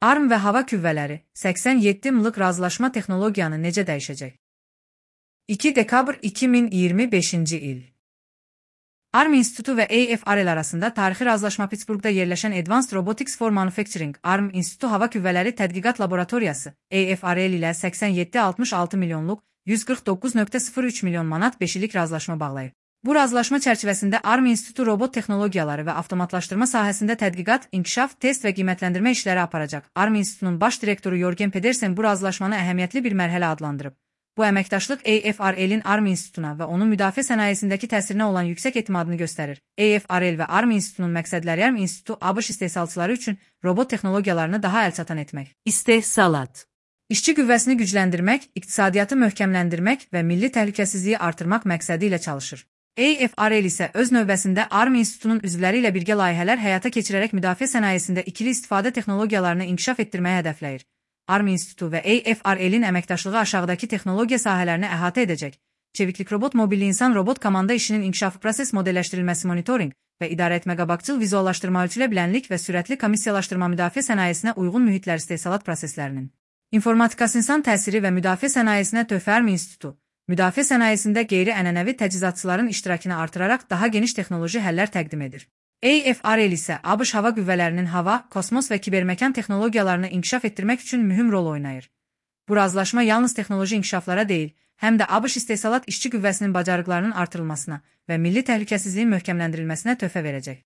ARM və hava qüvvələri 87 mlıq razılaşma texnologiyanı necə dəyişəcək? 2 dekabr 2025-ci il. ARM İnstitutu və AFRL arasında tarixi razılaşma Pittsburghda yerləşən Advanced Robotics for Manufacturing ARM İnstitutu Hava Qüvvələri Tədqiqat Laboratoriyası AFRL ilə 87,66 milyonluq 149,03 milyon manat 5 illik razılaşma bağlayıb. Bu razılaşma çərçivəsində ARM İnstitutu robot texnologiyaları və avtomatlaşdırma sahəsində tədqiqat, inkişaf, test və qiymətləndirmə işləri aparacaq. ARM İnstitutunun baş direktoru Jorgen Pedersen bu razılaşmanı əhəmiyyətli bir mərhələ adlandırıb. Bu əməkdaşlıq AFRL-in ARM İnstitutuna və onun müdafiə sənayesindəki təsirinə olan yüksək etimadını göstərir. AFRL və ARM İnstitutunun məqsədləri ARM İnstitutu ABŞ istehsalçıları üçün robot texnologiyalarını daha əlçatan etmək. İstehsalat. İşçi qüvvəsini gücləndirmək, iqtisadiyyatı möhkəmləndirmək və milli təhlükəsizliyi artırmaq məqsədi ilə çalışır. AFRL isə öz növbəsində ARM İnstitutunun üzvləri ilə birgə layihələr həyata keçirərək müdafiə sənayesində ikili istifadə texnologiyalarını inkişaf etdirməyə hədəfləyir. ARM İnstitutu və AFRL-in əməkdaşlığı aşağıdakı texnologiya sahələrini əhatə edəcək. Çeviklik robot, mobilli insan robot, komanda işinin inkişafı, proses modelləşdirilməsi, monitorinq və idarəetmə, qabaqcıl vizuallaşdırma, ölçülə bilənlik və sürətli komissiyalaşdırma, müdafiə sənayesinə uyğun mühitlər, istehsalat proseslərinin informatikası, insan təsiri və müdafiə sənayesinə töhfə. ARM İnstitutu müdafiə sənayesində qeyri-ənənəvi təchizatçıların iştirakını artıraraq daha geniş texnoloji həllər təqdim edir. AFRL isə ABŞ hava qüvvələrinin hava, kosmos və kiberməkan texnologiyalarını inkişaf etdirmək üçün mühüm rol oynayır. Bu razılaşma yalnız texnoloji inkişaflara deyil, həm də ABŞ istehsalat işçi qüvvəsinin bacarıqlarının artırılmasına və milli təhlükəsizliyin möhkəmləndirilməsinə töhfə verəcək.